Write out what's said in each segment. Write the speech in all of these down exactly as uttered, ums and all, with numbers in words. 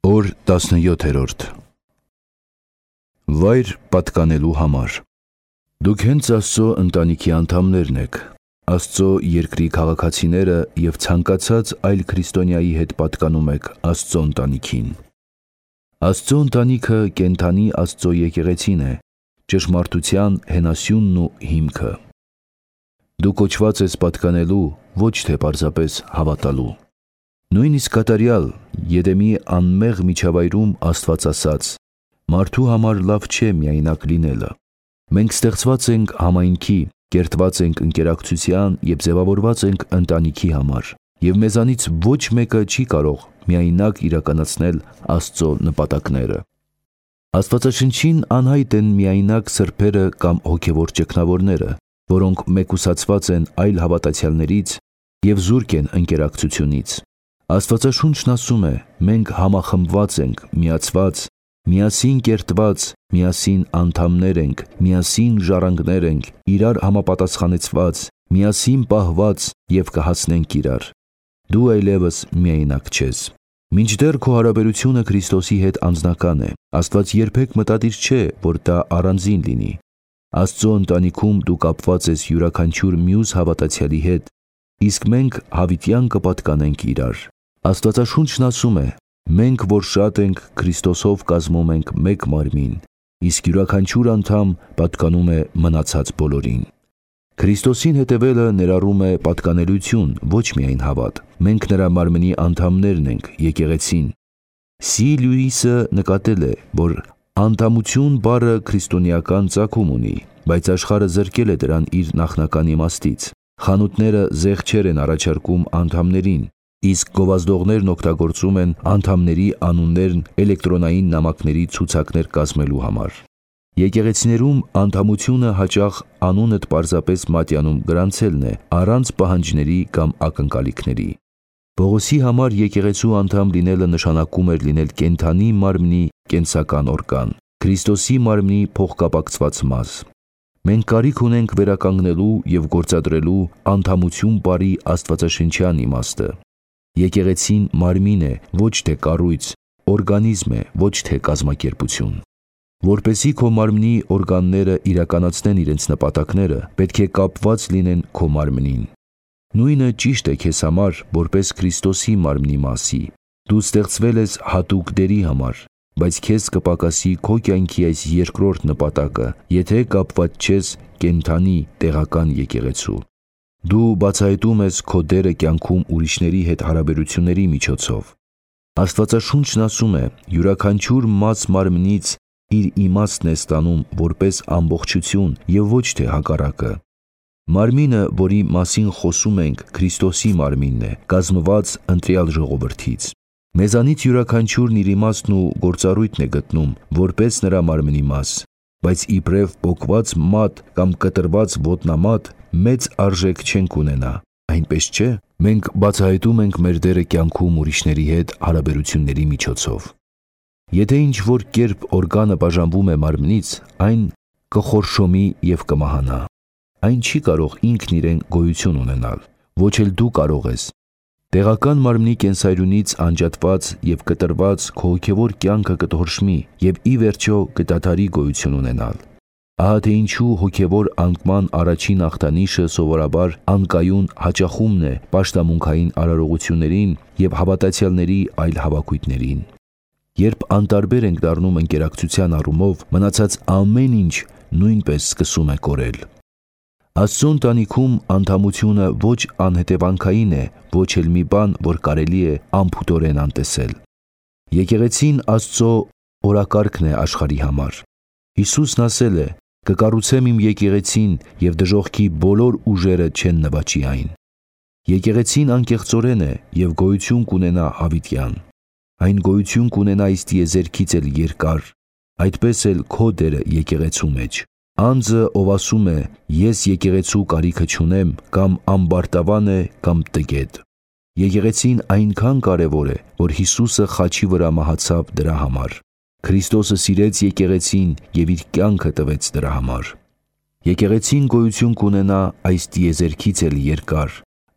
Օր տասնյոթերորդ Վայր պատկանելու համար։ Դուք հենց Աստծո ընտանիքի անդամներն եք, Աստծո երկրի քաղաքացիները և ցանկացած այլ քրիստոնյայի հետ պատկանում եք Աստծո ընտանիքին։ Աստծո ընտանիքը կենդանի Աստծո եկեղեցին է, ճշմարտության հենասյունն ու հիմքը։ Դու կոչված ես պատկանելու, ոչ թե պարզապես հավատալու։ Նույնիսկ կատարյալ Եդեմի անմեղ միջավայրում Աստված ասաց. «Մարդու համար լավ չէ միայնակ լինելը»։ Մենք ստեղծված ենք համայնքի, կերտված ենք ընկերակցության և ձևավորված ենք ընտանիքի համար, և մեզանից ոչ մեկը չի կարող միայնակ իրականացնել Աստծո նպատակները։ Աստվածաշնչին անհայտ են միայնակ սրբերը կամ հոգևոր ճգնավորները, որոնք մեկուսացված են այլ հավատացյալներից և զուրկ են ընկերակցությունից։ Աստվածաշունչն ասում է. մենք համախմբված ենք, միացված, միասին կերտված, միասին անդամներ ենք, միասին ժառանգներ ենք, իրար համապատասխանեցված, միասին պահված և կհասնենք իրար։ Դու այլևս միայնակ չես։ Մինչդեռ քո հարաբերությունը Քրիստոսի հետ անձնական է, Աստված երբեք մտադիր չէ, որ դա առանձին լինի։ Աստծո ընտանիքում դու կապված ես յուրաքանչյուր մյուս հավատացյալի հետ, իսկ մենք հավիտյան կպատկանենք իրար։ Աստվածաշունչն ասում է. մենք, որ շատ ենք, Քրիստոսով կազմում ենք մեկ մարմին, իսկ յուրաքանչյուր անդամ պատկանում է մնացած բոլորին։ Քրիստոսին հետևելը ներառում է պատկանելություն, ոչ միայն հավատ։ Մենք նրա մարմնի անդամներն ենք, եկեղեցին։ Սի Լյուիսը նկատել է, որ անդամություն բառը քրիստոնեական ծագում ունի, բայց աշխարհը զրկել է դրան իր նախնական իմաստից։ Խանութները զեղչեր են առաջարկում անդամներին, իսկ գովազդողներն օգտագործում են անդամների անուններն էլեկտրոնային նամակների ցուցակներ կազմելու համար։ Եկեղեցիներում անդամությունը հաճախ անունդ պարզապես մատյանում գրանցելն է, առանց պահանջների կամ ակնկալիքների։ Պողոսի համար եկեղեցու անդամ լինելը նշանակում էր լինել կենդանի մարմնի կենսական օրգան, Քրիստոսի մարմնի փոխկապակցված մաս։ Մենք կարիք ունենք վերականգնելու և գործադրելու անդամություն բառի աստվածաշնչյան իմաստը։ Եկեղեցին մարմին է, ոչ թե կառույց, օրգանիզմ է, ոչ թե կազմակերպություն։ Որպեսզի քո մարմնի օրգանները իրականացնեն իրենց նպատակները, պետք է կապված լինեն քո մարմնին։ Նույնը ճիշտ է քեզ համար, որպես Քրիստոսի մարմնի մասի։ Դու ստեղծվել ես հատուկ դերի համար, բայց քեզ կպակասի քո կյանքի այս երկրորդ նպատակը, եթե կապված չես կենդանի տեղական եկեղեցու։ Դու բացահայտում ես քո դերը կյանքում ուրիշների հետ հարաբերությունների միջոցով։ Աստվածաշունչն ասում է. յուրաքանչյուր մաս մարմնից իր իմաստն է ստանում որպես ամբողջություն և ոչ թե հակառակը։ Մարմինը, որի մասին խոսում ենք, Քրիստոսի մարմինն է, կազմված ընտրյալ ժողովրդից։ Մեզանից յուրաքանչյուրն իր իմաստն ու գործառույթն է գտնում, որպես նրա մարմնի մաս, բայց իբրև պոկված մատ կամ կտրված ոտնամատ մեծ արժեք չենք ունենա, այնպես չէ՞։ Մենք բացահայտում ենք մեր դերը կյանքում ուրիշների հետ հարաբերությունների միջոցով։ Եթե ինչ-որ կերպ օրգանը բաժանվում է մարմնից, այն կխորշոմի և կմահանա։ Այն չի կարող ինքն իրեն գոյություն ունենալ, ոչ էլ դու կարող ես։ Տեղական մարմնի կենսայրունից անջատված և կտրված քո հոգևոր կյանքը կթորշմի և ի վերջո կդադարի գոյություն ունենալ։ Ահա թե ինչու հոգևոր անկման առաջին ախտանիշը սովորաբար անկայուն հաճախումն է պաշտամունքային արարողություններին և հավատացյալների այլ հավաքույթներին։ Երբ անտարբեր ենք դառնում ընկերակցության առումով, մնացած ամեն ինչ նույնպես սկսում է կորել։ Աստծո ընտանիքում անդամությունը ոչ անհետևանքային է, ոչ էլ մի բան, որ կարելի է անփութորեն անտեսել։ Եկեղեցին Աստծո օրակարգն է աշխարհի համար։ Հիսուսն ասել է. «Կկառուցեմ իմ եկեղեցին, և դժոխքի բոլոր ուժերը չեն նվաճի այն»։ Եկեղեցին անկեղծորեն է և գոյություն կունենա հավիտյան։ Այն գոյություն կունենա այս տիեզերքից էլ երկար, այդպես էլ քո դերը եկեղեցու մեջ։ Անձը, ով ասում է. «Ես եկեղեցու կարիքը չունեմ», կամ ամբարտավան է, կամ տգետ։ Եկեղեցին այնքան կարևոր է, որ Հիսուսը խաչի վրա մահացավ դրա համար։ Քրիստոսը սիրեց եկեղեցին և իր կյանքը տվեց դրա համար։ Եկեղեցին գոյություն կունենա այս տիեզերքից էլ երկար,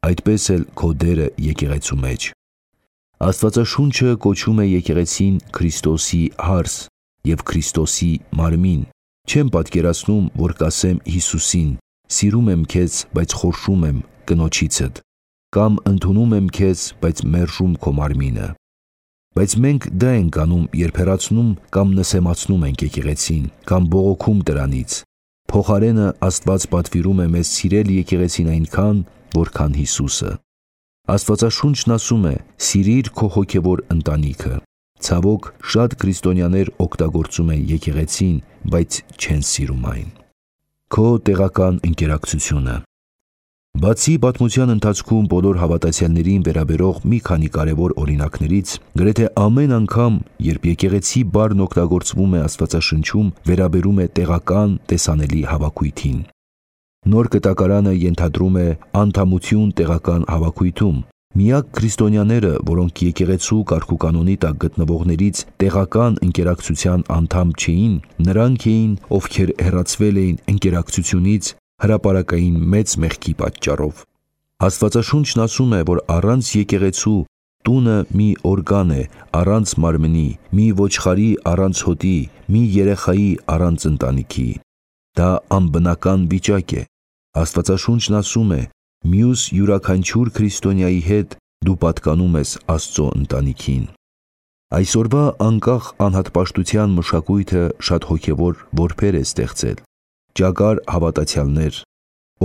այդպես էլ քո դերը եկեղեցու մեջ։ Աստվածաշունչը կոչում է եկեղեցին Քրիստոսի հարս և Քրիստոսի մարմին։ Չեմ պատկերացնում, որ կասեմ Հիսուսին. «Սիրում եմ քեզ, բայց խորշում եմ կնոջիցդ», կամ ընդունում եմ քեզ, բայց մերժում քո մարմինը։ Բայց մենք դա ենք անում, երբ հեռացնում կամ նսեմացնում ենք եկեղեցին, կամ բողոքում դրանից։ Փոխարենը Աստված պատվիրում է մեզ սիրել եկեղեցին այնքան, որքան Հիսուսը։ Աստվածաշունչն ասում է. «Սիրիր քո հոգևոր ընտանիքը»։ Ցավոք, շատ քրիստոնյաներ օգտագործում են եկեղեցին, բայց չեն սիրում այն։ Քո տեղական ընկերակցությունը։ Բացի պատմության ընթացքում բոլոր հավատացյալներին վերաբերող մի քանի կարևոր օրինակներից, գրեթե ամեն անգամ, երբ եկեղեցի բառն օգտագործվում է Աստվածաշնչում, վերաբերում է տեղական տեսանելի հավաքույթին։ Նոր Կտակարանը ենթադրում է անդամություն տեղական հավաքույթում։ Միակ քրիստոնյաները, որոնք եկեղեցու կարգուկանոնի տակ գտնվողներից տեղական ընկերակցության անդամ չէին, նրանք էին, ովքեր հեռացվել էին ընկերակցությունից հրապարակային մեծ մեղքի պատճառով։ Աստվածաշունչն ասում է, որ առանց եկեղեցու տունը մի օրգան է առանց մարմնի, մի ոչխարի առանց հոտի, մի երեխայի առանց ընտանիքի։ Դա անբնական վիճակ է։ Աստվածաշունչն ասում է. «Մյուս յուրաքանչյուր քրիստոնյայի հետ դու պատկանում ես Աստծո ընտանիքին»։ Այսօրվա անկախ անհատպաշտության մշակույթը շատ հոգևոր որբեր է ստեղծել, ճագար հավատացյալներ,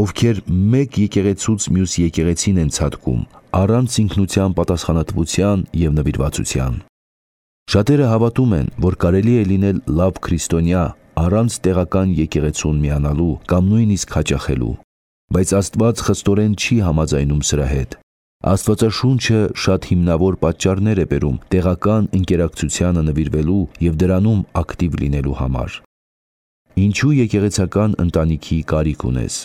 ովքեր մեկ եկեղեցուց մյուս եկեղեցին են ցատկում, առանց ինքնության պատասխանատվության և նվիրվածության։ Շատերը հավատում են, որ կարելի է լինել լավ քրիստոնյա առանց տեղական եկեղեցուն միանալու կամ նույնիսկ հաճախելու, բայց Աստված խստորեն չի համաձայնում սրա հետ։ Աստվածաշունչը շատ հիմնավոր պատճառներ է բերում տեղական ընկերակցությանը նվիրվելու և դրանում ակտիվ լինելու համար։ Ինչու եկեղեցական ընտանիքի կարիք ունես։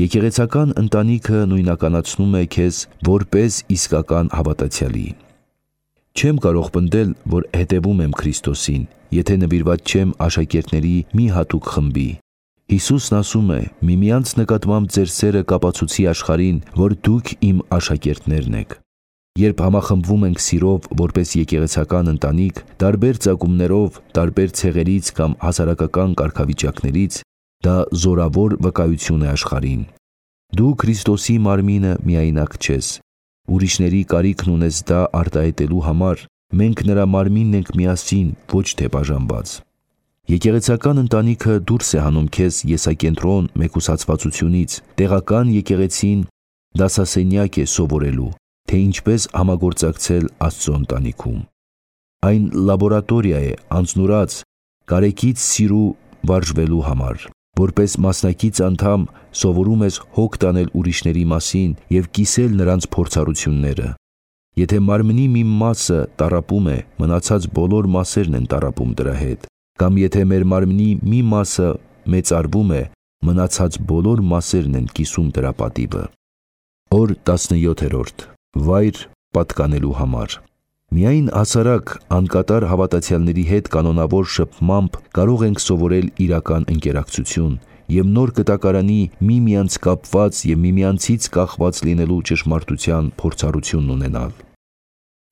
Եկեղեցական ընտանիքը նույնականացնում է քեզ որպես իսկական հավատացյալի։ Չեմ կարող պնդել, որ հետևում եմ Քրիստոսին, եթե նվիրված չեմ աշակերտների մի հատուկ խմբի։ Հիսուսն ասում է. «Միմյանց նկատմամբ ձեր սերը կապացուցի աշխարհին, որ դուք իմ աշակերտներն եք»։ Երբ համախմբվում ենք սիրով որպես եկեղեցական ընտանիք, տարբեր ծագումներով, տարբեր ցեղերից կամ հասարակական կարգավիճակներից, դա զորավոր վկայություն է աշխարհին։ Դու Քրիստոսի մարմինը միայնակ չես։ Ուրիշների կարիքն ունես դա արտահայտելու համար, մենք նրա մարմինն ենք միասին, ոչ թե բաժանված։ Եկեղեցական ընտանիքը դուրս է հանում քեզ եսակենտրոն մեկուսացվածությունից, տեղական եկեղեցին դասասենյակ է սովորելու, թե ինչպես համագործակցել Աստծո ընտանիքում։ Այն լաբորատորիա է, անձնուրաց, կարեկից սիրու վարժվելու համար։ Որպես մասնակից անդամ սովորում ես հոգ տանել ուրիշների մասին և կիսել նրանց փորձառությունները։ Եթե մարմնի մի մասը տառապում է, մնացած բոլոր մասերն են տառապում դրա հետ, կամ եթե մեր մարմնի մի մասը մեծարվում է, մնացած բոլոր մասերն են կիսում դրա պատիվը։ Օր տասնյոթերորդ. Վայր պատկանելու համար։ Միայն հասարակ, անկատար հավատացյալների հետ կանոնավոր շփմամբ կարող ենք սովորել իրական ընկերակցություն և Նոր Կտակարանի միմյանց կապված և միմյանցից կախված լինելու ճշմարտության փորձառությունն ունենալ։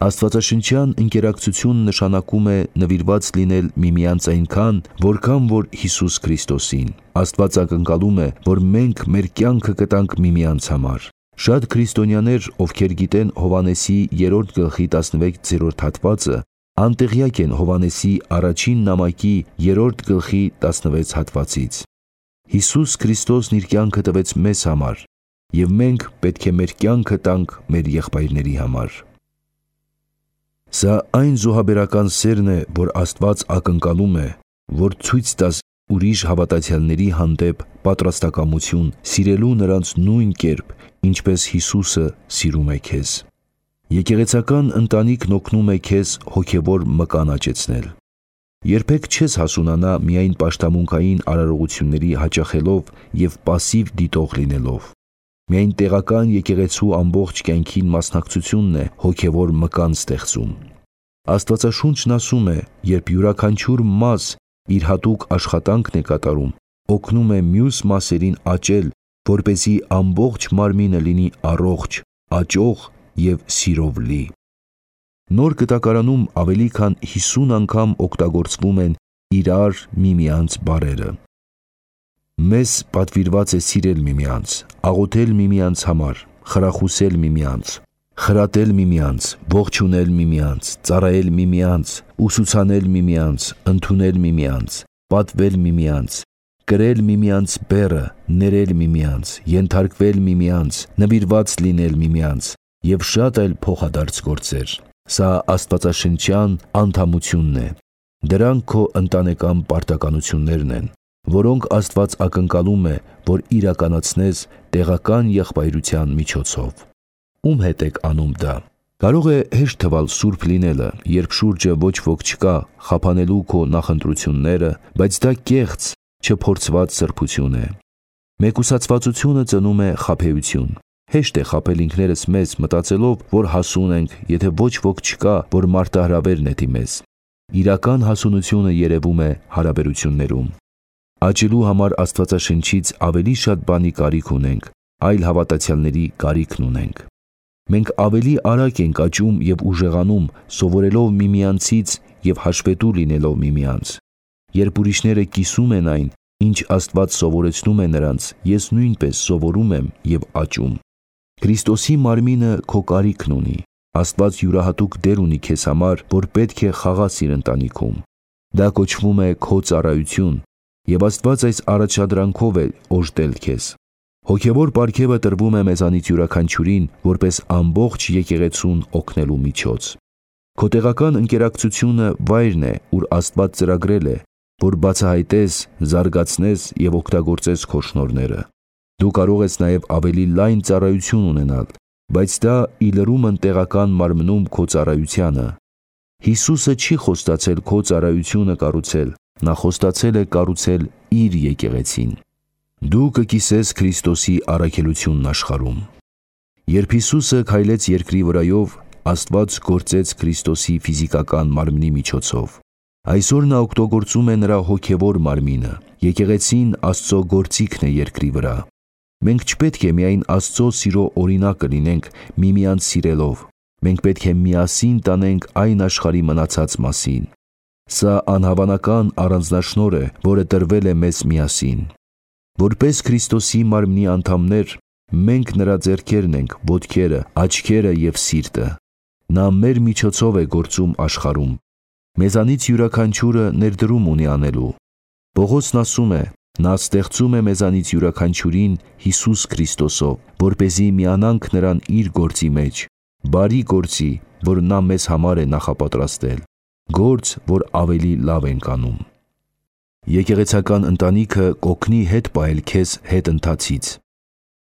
Աստվածաշնչյան ընկերակցություն նշանակում է նվիրված լինել միմյանց այնքան, որքան որ Հիսուս Քրիստոսին։ Աստված ակնկալում է, որ մենք մեր կյանքը կտանք միմյանց համար։ Շատ քրիստոնյաներ, ովքեր գիտեն Հովհաննեսի երրորդ գլխի տասնվեցերորդ հատվածը, անտեղյակ են Հովհաննեսի առաջին նամակի երրորդ գլխի տասնվեց հատվածից։ Հիսուս Քրիստոսն իր կյանքը տվեց մեզ համար, և մենք պետք է մեր կյանքը տանք մեր եղբայրների համար։ Սա այն զոհաբերական սերն է, որ Աստված ակնկալում է, որ ցույց տաս ուրիշ հավատացյալների հանդեպ պատրաստակամություն սիրելու նրանց նույն կերպ, ինչպես Հիսուսը սիրում է քեզ։ Եկեղեցական ընտանիքն օգնում է քեզ հոգևոր մկան աճեցնել։ Երբեք չես հասունանա միայն պաշտամունքային արարողությունների հաճախելով և պասիվ դիտող լինելով։ Միայն տեղական եկեղեցու ամբողջ կյանքին մասնակցությունն է հոգևոր մկան ստեղծում։ Աստվածաշունչն ասում է, երբ յուրաքանչյուր մաս իր հատուկ աշխատանքն է կատարում, օգնում է մյուս մասերին աճել, որպեսզի ամբողջ մարմինը լինի առողջ, աճող և սիրով լի։ Նոր Կտակարանում ավելի քան հիսուն անգամ օգտագործվում են իրար միմյանց բառերը։ Մեզ պատվիրված է սիրել միմյանց, աղոթել միմյանց համար, խրախուսել միմյանց, խրատել միմյանց, ողջունել միմյանց, ծառայել միմյանց, ուսուցանել միմյանց, ընդունել միմյանց, պատվել միմյանց, կրել միմյանց բեռը, ներել միմյանց, ենթարկվել միմյանց, նվիրված լինել միմյանց եւ շատ այլ փոխադարձ գործեր։ Սա աստվածաշնչյան անդամությունն է։ Դրանք քո ընտանեկան պարտականություններն են, որոնք Աստված ակնկալում է, որ իրականացնես տեղական եղբայրության միջոցով։ Ում հետ եք անում դա։ Կարող է հեշտ թվալ սուրբ լինելը, երբ շուրջը ոչ ոք չկա խափանելու քո նախընտրությունները, բայց դա կեղծ, չփորձված սրբություն է։ Մեկուսացվածությունը ծնում է խաբեություն։ Հեշտ է խաբել ինքներս մեզ մտածելով, որ հասուն ենք, եթե ոչ ոք չկա, որ մարտահրավեր նետի մեզ։ Իրական հասունությունը երևում է հարաբերություններում։ Աճելու համար Աստվածաշնչից ավելի շատ բանի կարիք ունենք, այլ հավատացյալների կարիքն ունենք։ Մենք ավելի արագ ենք աճում եւ ուժեղանում, սովորելով միմյանցից եւ հաշվետու լինելով միմյանց։ Երբ ուրիշները կիսում են այն, ինչ Աստված սովորեցնում է նրանց, ես նույնպես սովորում եմ եւ աճում։ Քրիստոսի մարմինը քո կարիքն ունի։ Աստված յուրահատուկ դեր ունի քեզ համար, որ պետք է խաղաս իր ընտանիքում։ Դա կոչվում է քո ծառայություն, եւ Աստված այս առաջադրանքով է օժտել քեզ։ Հոգևոր պարգևը տրվում է մեզանից յուրաքանչյուրին, որպես ամբողջ եկեղեցուն օգնելու միջոց։ Քո տեղական ընկերակցությունը վայրն է, ուր Աստված ծրագրել է, որ բացահայտես, զարգացնես եւ օգտագործես քո շնորհները։ Դու կարող ես նաեւ ավելի լայն ծառայություն ունենալ, բայց դա ի լրումն տեղական մարմնում քո ծառայությանը։ Հիսուսը չի խոստացել քո ծառայությունը կառուցել, նա խոստացել է կառուցել իր եկեղեցին։ Դու կկիսես Քրիստոսի առաքելությունն աշխարհում։ Երբ Հիսուսը քայլեց երկրի վրայով, Աստված գործեց Քրիստոսի ֆիզիկական մարմնի միջոցով։ Այսօր նա օգտագործում է նրա հոգևոր մարմինը։ Եկեղեցին Աստծո գործիքն է երկրի վրա։ Մենք չպետք է միայն Աստծո սիրո օրինակը լինենք միմյանց սիրելով։ Մենք պետք է միասին տանենք այն աշխարհի մնացած մասին։ Սա անհավանական առանձնաշնորհ է, որը տրվել է մեզ միասին։ Որպես Քրիստոսի մարմնի անդամներ, մենք նրա ձեռքերն ենք, ոտքերը, աչքերը եւ սիրտը։ Նա մեր միջոցով է գործում աշխարհում։ Մեզանից յուրաքանչյուրը ներդրում ունի անելու։ Պողոսն ասում է. նա ստեղծում է մեզանից յուրաքանչյուրին Հիսուս Քրիստոսով, որպեսզի միանանք նրան իր գործի մեջ, բարի գործի, որ նա մեզ համար է նախապատրաստել, գործ, որ ավելի լավ ենք անում։ Եկեղեցական ընտանիքը կօգնի հետ պահել քեզ հետընթացից։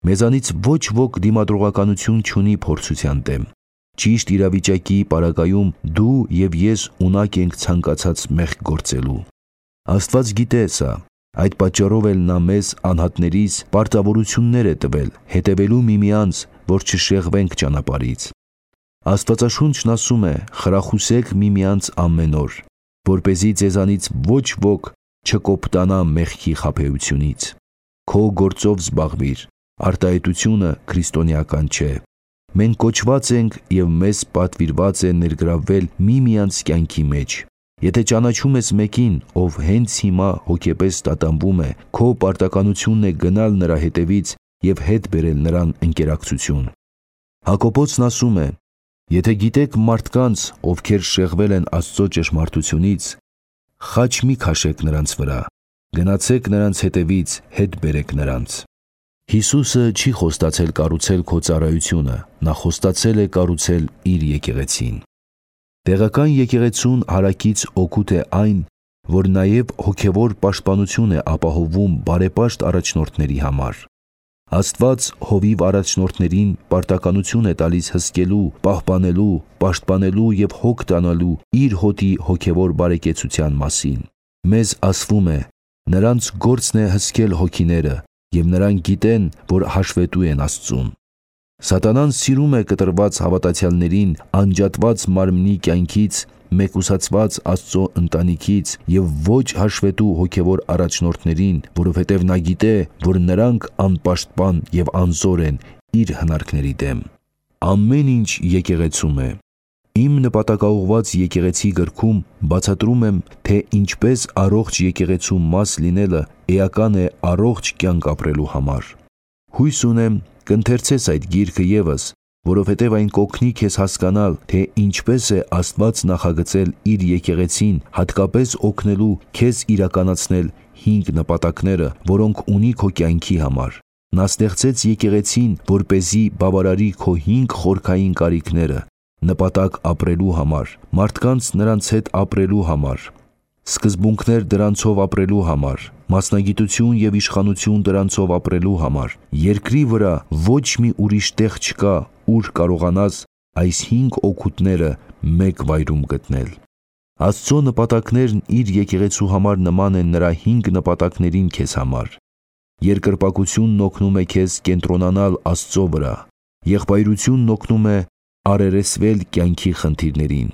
Մեզանից ոչ ոք դիմադրողականություն չունի փորձության դեմ։ Ճիշտ իրավիճակի պարագայում դու եւ ես ունակ ենք ցանկացած մեղք գործելու։ Աստված գիտե սա, այդ պատճառով էլ նա մեզ անհատներիս պարտավորություններ է տվել, հետևելու միմյանց, որ չշեղվենք ճանապարհից։ Աստվածաշունչն ասում է. խրախուսեք միմյանց ամեն օր, որպեսզի ձեզանից ոչ ոք չկոպտանա մեղքի խաբեությունից։ Քո գործով զբաղվիր, արտահայտությունը քրիստոնեական չէ։ Մենք կոչված ենք եւ մեզ պատվիրված է ներգրավվել միմյանց կյանքի մեջ։ Եթե ճանաչում ես մեկին, ով հենց հիմա հոգեպես տատանվում է, քո պարտականությունն է գնալ նրա հետևից եւ հետ բերել նրան ընկերակցություն։ Հակոբոսն ասում է. եթե գիտեք մարդկանց, ովքեր շեղվել են Աստծո ճշմարտությունից, խաչ մի քաշեք նրանց վրա, գնացեք նրանց հետևից, հետ բերեք նրանց։ Հիսուսը չի խոստացել կառուցել քո ծառայությունը, նա խոստացել է կառուցել իր եկեղեցին։ Տեղական եկեղեցուն հարակից օգուտ է այն, որ նաև հոգևոր պաշտպանություն է ապահովում բարեպաշտ առաջնորդների համար։ Աստված հովիվ առաջնորդներին պարտականություն է տալիս հսկելու, պահպանելու, պաշտպանելու եւ հոգ տանալու իր հոտի հոգևոր բարեկեցության մասին։ Մեզ ասվում է. նրանց գործն է հսկել հոգիները, եւ նրանք գիտեն, որ հաշվետու են Աստծուն։ Սատանան սիրում է կտրված հավատացյալներին անջատված մարմնի կյանքից, մեկուսացված Աստծո ընտանիքից եւ ոչ հաշվետու հոգևոր առաջնորդներին, որովհետեւ նա գիտե, որ նրանք անպաշտպան եւ անզոր են իր հնարքների դեմ։ Ամեն ինչ եկեղեցում է։ Իմ նպատակաուղված եկեղեցի գրքում բացատրում եմ, թե ինչպես առողջ եկեղեցու մաս լինելը էական է առողջ կյանք ապրելու համար։ Հույս ունեմ կընթերցես այդ գիրքը ևս, որովհետև այն կօգնի քեզ հասկանալ, թե ինչպես է Աստված նախագծել իր եկեղեցին հատկապես օգնելու քեզ իրականացնել հինգ նպատակները, որոնք ունի քո կյանքի համար։ Նա ստեղծեց եկեղեցին, որպեսզի բավարարի քո հինգ խորքային կարիքները՝ նպատակ ապրելու համար, մարդկանց նրանց հետ ապրելու համար, սկզբունքներ դրանցով ապրելու համար, մասնագիտություն և իշխանություն դրանցով ապրելու համար։ Երկրի վրա ոչ մի ուրիշ տեղ չկա, ուր կարողանաս այս հինգ օգուտները մեկ վայրում գտնել։ Աստծո նպատակներն իր եկեղեցու համար նման են նրա հինգ նպատակներին քեզ համար։ Երկրպագությունն օգնում է քեզ կենտրոնանալ Աստծո վրա, եղբայրությունն օգնում է առերեսվել կյանքի խնդիրներին,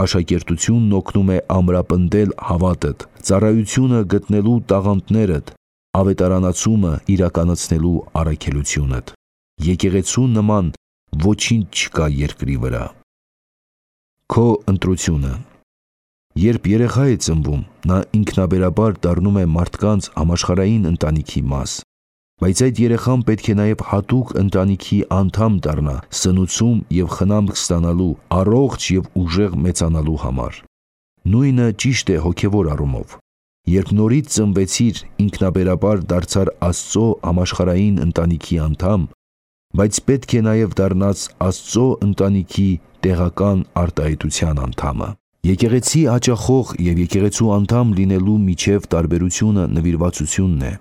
աշակերտությունն օգնում է ամրապնդել հավատդ, ծառայությունը գտնելու տաղանդներդ, ավետարանացումը իրականացնելու առաքելությունդ։ Եկեղեցու նման ոչինչ չկա երկրի վրա։ Քո ընտրությունը։ Երբ երեխա է ծնվում, նա ինքնաբերաբար դառնում է մարդկանց համաշխարհային ընտանիքի մաս, բայց այդ երեխան պետք է նաև հատուկ ընտանիքի անդամ դառնա սնուցում և խնամք ստանալու, առողջ և ուժեղ մեծանալու համար։ Նույնը ճիշտ է հոգևոր առումով։ Երբ նորից ծնվեցիր, ինքնաբերաբար դարձար Աստծո համաշխարհային ընտանիքի անդամ, բայց պետք է նաև դառնաս Աստծո ընտանիքի տեղական արտահայտության անդամը։ Եկեղեցի հաճախող և եկեղեցու անդամ լինելու միջև տարբերությունը նվիրվածությունն է։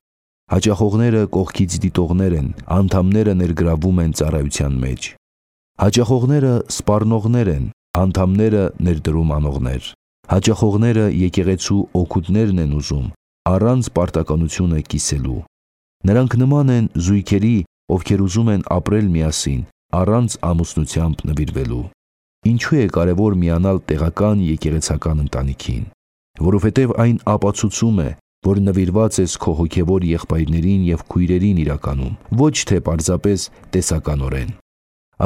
Հաճախողները կողքից դիտողներ են, անդամները ներգրավում են ծառայության մեջ։ Հաճախողները սպառնողներ են, անդամները ներդրում անողներ։ Հաճախողները եկեղեցու օգուտներն են ուզում, առանց պարտականությունը կիսելու։ Նրանք նման են զույգերի, ովքեր ուզում են ապրել միասին, առանց ամուսնությամբ նվիրվելու։ Ինչու է կարևոր միանալ տեղական եկեղեցական ընտանիքին։ Որովհետև այն ապացուցում է, որ նվիրված ես քո հոգևոր եղբայրներին և քույրերին իրականում, ոչ թե պարզապես տեսականորեն։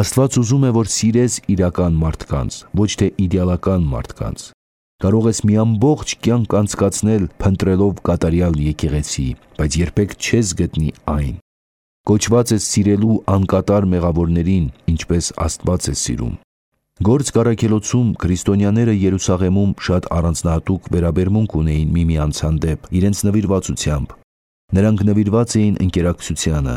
Աստված ուզում է, որ սիրես իրական մարդկանց, ոչ թե իդեալական մարդկանց։ Կարող ես մի ամբողջ կյանք անցկացնել փնտրելով կատարյալ եկեղեցի, բայց երբեք չես գտնի այն։ Կոչված ես սիրելու անկատար մեղավորներին, ինչպես Աստված է սիրում։ Գործք առաքելոցում քրիստոնյաները Երուսաղեմում շատ առանձնահատուկ վերաբերմունք ունեին միմյանց հանդեպ իրենց նվիրվածությամբ։ Նրանք նվիրված էին ընկերակցությանը։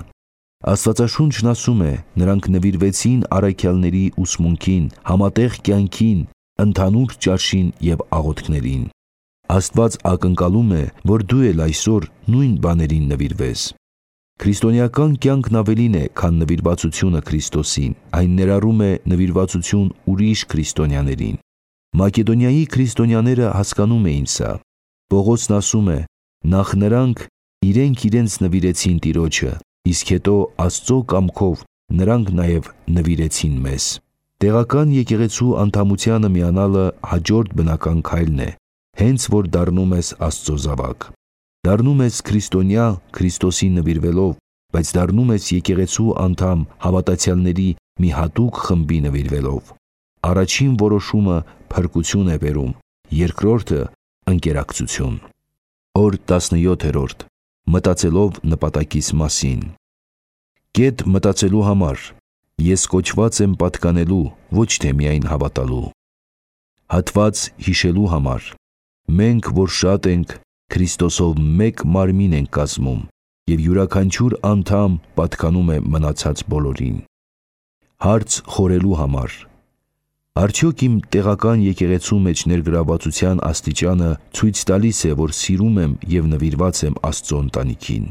Աստվածաշունչն ասում է, նրանք նվիրվեցին առաքյալների ուսմունքին, համատեղ կյանքին, ընդհանուր ճաշին և աղոթքներին։ Աստված ակնկալում է, որ դու էլ այսօր նույն բաներին նվիրվես։ Քրիստոնեական կյանքն ավելին է, քան նվիրվածությունը Քրիստոսին, այն ներառում է նվիրվածություն ուրիշ քրիստոնյաներին։ Մակեդոնիայի քրիստոնյաները հասկանում էին սա։ Պողոսն ասում է. նախ նրանք իրենք իրենց նվիրեցին Տիրոջը, իսկ հետո Աստծո կամքով նրանք նաև նվիրեցին մեզ։ Տեղական եկեղեցու անդամությանը միանալը հաջորդ բնական քայլն է, հենց որ դառնում ես Աստծո զավակ։ Դառնում ես քրիստոնյա Քրիստոսին նվիրվելով, բայց դառնում ես եկեղեցու անդամ հավատացյալների մի հատուկ խմբի նվիրվելով։ Առաջին որոշումը փրկություն է բերում, երկրորդը ընկերակցություն։ Օր տասնյոթերորդ. Մտածելով նպատակիս մասին։ Կետ մտածելու համար։ Ես կոչված եմ պատկանելու, ոչ թե միայն հավատալու։ Հատված հիշելու համար։ Մենք, որ շատ ենք, Քրիստոսով մեկ մարմին ենք կազմում, և յուրաքանչյուր անդամ պատկանում է մնացած բոլորին։ Հարց խորելու համար։ Արդյոք իմ տեղական եկեղեցու մեջ ներգրավվածության աստիճանը ցույց տալիս է, որ սիրում եմ և նվիրված եմ Աստծո ընտանիքին։